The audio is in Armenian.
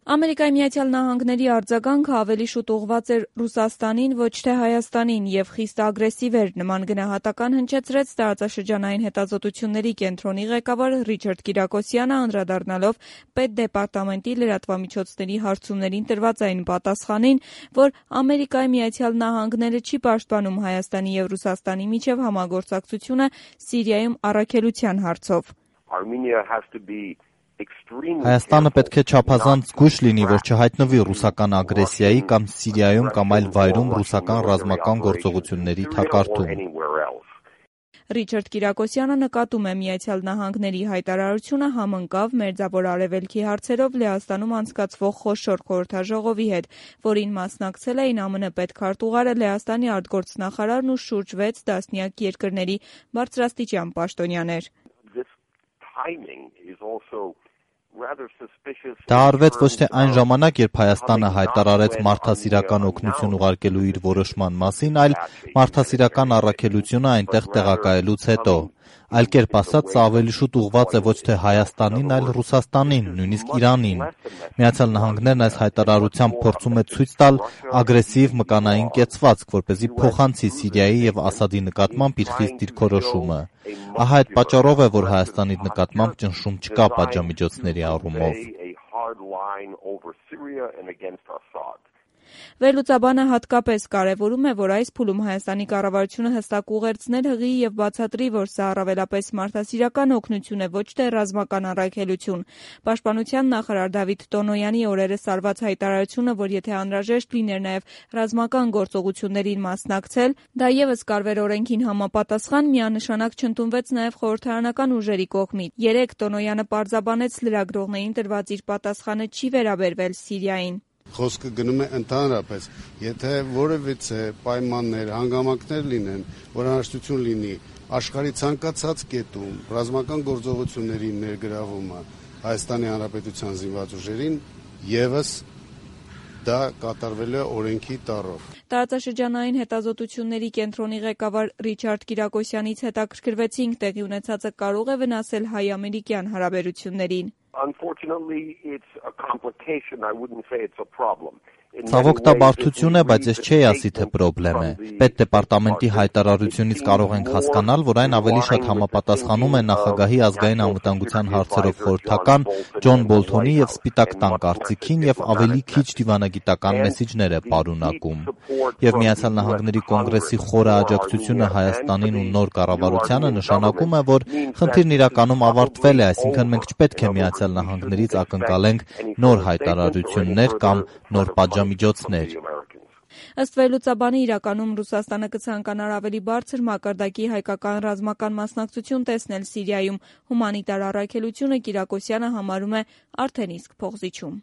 Ամերիկայի Միացյալ Նահանգների արձագանքը ավելի շուտ ուղղված էր Ռուսաստանին, ոչ թե Հայաստանին և խիստ ագրեսիվ էր, նման գնահատական հնչեցրեց տարածաշրջանային հետազոտությունների կենտրոնի ղեկավար Ռիչարդ Կիրակոսյանը, անդրադառնալով Պետդեպարտամենտի լրատվամիջոցների հարցումներին տրված այն պատասխանին, որ Ամերիկայի Միացյալ Նահանգները չի պաշտպանում Հայաստանի և Ռուսաստանի միջև համագործակցությունը Սիրիայում առաքելության հարցով. Հայաստանը պետք է չափազանց զգույշ լինի, որ չհայտնվի ռուսական ագրեսիայի կամ Սիրիայում կամ այլ վայրում ռուսական ռազմական գործողությունների թակարդում։ Ռիչարդ Կիրակոսյանը նկատում է Միացյալ Նահանգների հայտարարությունը համընկավ Մերձավոր Արևելքի հարցերով Լեհաստանում անցկացվող խոշոր խորհրդաժողովի հետ, որին մասնակցել էին ԱՄՆ պետքարտուղարը, Լեհաստանի արտգործնախարարն ու շուրջ 6 տասնյակ երկրների բարձրաստիճան պաշտոնյաներ. Դա արվեց ոչ թե այն ժամանակ, երբ Հայաստանը հայտարարեց մարդասիրական օգնություն ուղարկելու իր որոշման մասին, այլ մարդասիրական առաքելությունը այնտեղ տեղակայելուց հետո։ Այլ կերպ ասած, սա ավելի շուտ ուղղված է ոչ թե Հայաստանին, այլ Ռուսաստանին, նույնիսկ Իրանին։ Միացյալ Նահանգներն այս հայտարարությամբ փորձում է ցույց տալ ագրեսիվ մկանային կեցվածք, որպեսզի փոխանցի Սիրիայի և Ասադի նկատմամբ իր խիստ դիրքորոշումը։ Ահա այդ պատճառով է, որ Հայաստանի նկատմամբ ճնշում չկա պատժամիջոցների առումով։ Վերլուծաբանը հատկապես կարևորում է, որ այս փուլում Հայաստանի կառավարությունը հստակ ուղերձներ հղի և բացատրի, որ սա առավելապես մարդասիրական օգնություն է, ոչ թե ռազմական առաքելություն։ Պաշտպանության նախարար Դավիթ Տոնոյանի օրերս արված հայտարարությունը, որ եթե անհրաժեշտ լիներ նաև ռազմական գործողություններին մասնակցել, դա ևս կարվեր օրենքին համապատասխան, միանշանակ չընդունվեց նաև խորհրդարանական ուժերի կողմից։ Երեկ Տոնոյանը պարզաբանեց լրագրողներին տրված իր պատասխանը չի վերաբերվել Սիրիային. Խոսքը գնում է ընդհանրապես, եթե որևիցե պայմաններ, հանգամանքներ լինեն, որ հնարավորություն լինի աշխարհի ցանկացած կետում ռազմական գործողությունների ներգրավումը Հայաստանի Հանրապետության զինված ուժերին, ևս դա կատարվել է օրենքի տառով։ Տարածաշրջանային հետազոտությունների կենտրոնի ղեկավար Ռիչարդ Կիրակոսյանից հետաքրքրվեցինք տեղի ունեցածը կարող է վնասել հայ-ամերիկյան հարաբերություններին. Ցավոք դա բարդություն է, բայց ես չէի ասի, թե պրոբլեմ է։ Պետդեպարտամենտի հայտարարությունից կարող ենք հասկանալ, որ այն ավելի շատ համապատասխանում է նախագահի ազգային անվտանգության հարցերով խորհրդական Ջոն Բոլթոնի և Սպիտակ տան կարծիքին և ավելի քիչ դիվանագիտական մեսիջներ է պարունակում։ Եվ Միացյալ Նահանգների կոնգրեսի խորը աջակցությունը Հայաստանին ու նոր կառավարությանը նշանակում է, որ խնդիրն իրականում ավարտվել է, այսինքն մենք չպետք է Միացյալ Նահանգներից ակնկալենք նոր հայտարարություններ կամ նոր պատժամիջոցներ։ Ըստ վերլուծաբանի, իրականում Ռուսաստանը կցանկանար ավելի բարձր մակարդակի հայկական ռազմական մասնակցություն տեսնել Սիրիայում։ Հումանիտար առաքելությունը Կիրակոսյանը համարում է արդեն իսկ փոխզիջում։